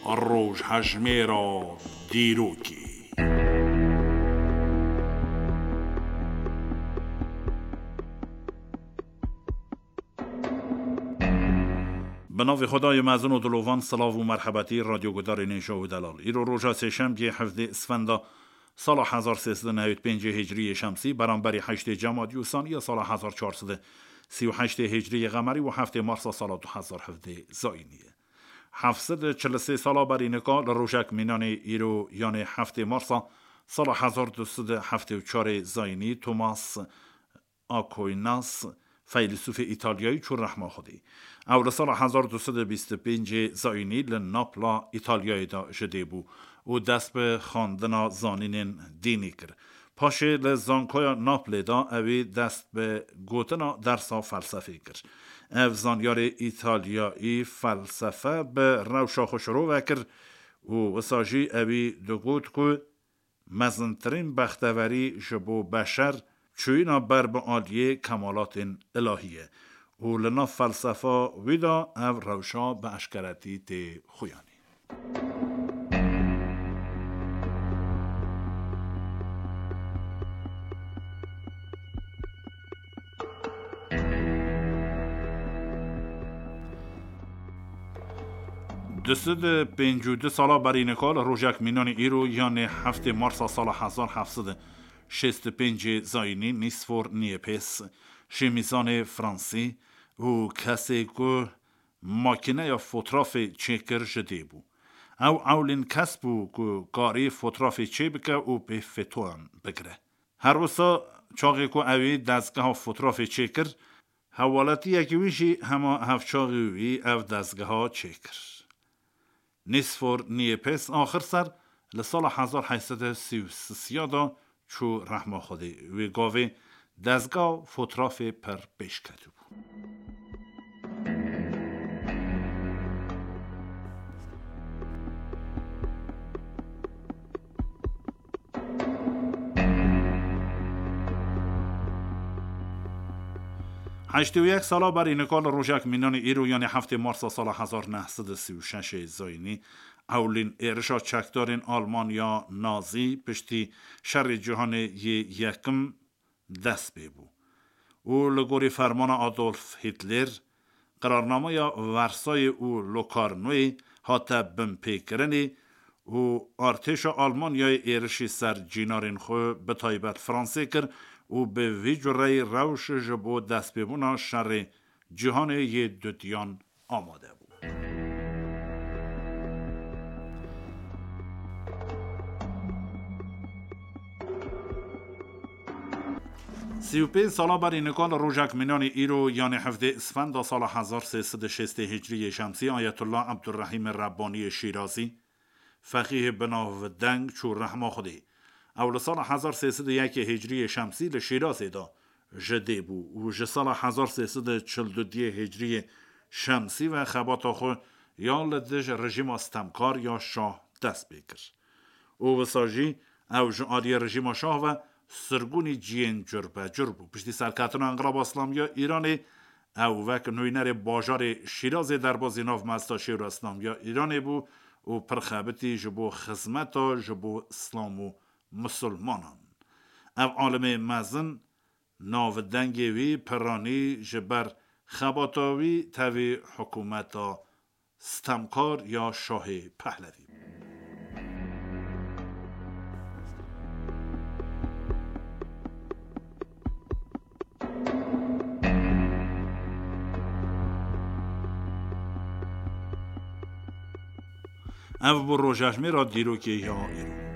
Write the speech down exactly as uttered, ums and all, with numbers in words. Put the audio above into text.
Rojhejmêra dîrokê. Bi navê Xwedayê mezin û dilovan, silav û merhebetî radyogudarê nêja û delal. Îro roja sêşemgê hevdê Isfenda sala hezar sê sed û newêd pêncê Hicriyê Şemsî, beramberî heştê Cemadî û Saniya sala hezar çar sed û sî û heştê Hicriyê Qemerî û heftê Marsa sala du hezar hevdê Zayînî ye. Heft sed û çil û sê sala berî nika li rojek mînanê îro, yanê heftê Marsa sala hezar du sed û heftê û çarê Zayînî, Thomas Aquinas, feylesûfê Îtalyayî, çû rehma Xwedê. Ew li sala hezar du sed û bîst û pêncê Zayînî li Napla Îtalyayê de ji dê bû û dest bi xwendina zanînên dînî kir. Paşê li Zankoya Naplê de ewî dest bi gotina dersa felsefê kir. Ev zanyarê Îtalyayî felsefe bi rewşa xwe şirove kir û wisa jî ewî digot ku mezintirîn bexteverî ji bo beşer çûyîna ber bi aliyê kemalatên ilahî ye û li nav felsefa wî de ev rewşa bi eşkeretî tê xuyanî. Du sed û pêncî û du sala berî nika li rojek mînanî îro, yanê heftê Marsa sala hezar heft sed û şêst û pêncê Zayînî, Nîsfor Niepes, şêmîzanê Fransî û kesê ku makîneya fotrafê çêkir ji dê bû. Ew ewlîn kes bû ku karî fotrafê çêbike û pê fetoyan bigire. Her wisa çaxê ku ewî dezgeha fotrafê çêkir, hewaletiyekî wî jî hema hevçaxî wî ev dezgeha çêkir. Nîsfor Niepes axir ser li sala hezar heyt sed û sî û sisiya de çû rehma Xwedê. Wê gavê dezga fotrafê pir pêş ketibû. Heştê û yek sala berî nika li rojek mînanî îro, yanî heftê Marsa sala hezar neh sed û sî û şeş ê Zayînî, ewlîn êrişa çekdarên Almanya Nazî piştî Şerê Cîhanê yê Yekim dest pê bû û li gorî fermana Adolf Hitler, qirarnameya Versayê û Locarnoyê hate binpêkirinê û artêşa Almanyayê êrişî ser cînarên xwe, bi taybet Fransê, kir û bi vî cureyî rewş ji bo destpêbûna Şerê Cîhanê yê Dutiyan amade bû. Sî û pênc sala berî nika li rojek mînanî îro, yanê hevdê Isfenda sala hezar sê sed û şêstê Hicriyê Şemsî, Ayetullah Ebdurrehîmê Rebbaniyê Şîrazî, feqîhê binavdeng, çû rehma Xwedê. Ew li sala hezar sê sed û yekê Hicriyê Şemsî li Şîrazê de ji dê bû û ji sala hezar sê sed û çil û duyê Hicriyê Şemsî ve xebata xwe ya li dij rejîma stemkar ya şah dest pê kir. Û wisa jî ew ji aliyê rejîma şah ve sirgûnî ciyên curbecur bû. Piştî serketina Enqilaba Îslamiya Îranê, ew wek nûnerê bajarê Şîrazê derbazî nav mezda Şêwra Îslamiya Îranê bû û pir xebitî ji bo xizmeta ji bo Îslam û misilmanan. Ev alimê mezin navdengê wî piranî ji ber xebata wî tevî hikûmeta stemkar ya Şahê Pehlevî bû. Ev bû rojejmêra dîrokê ya îro.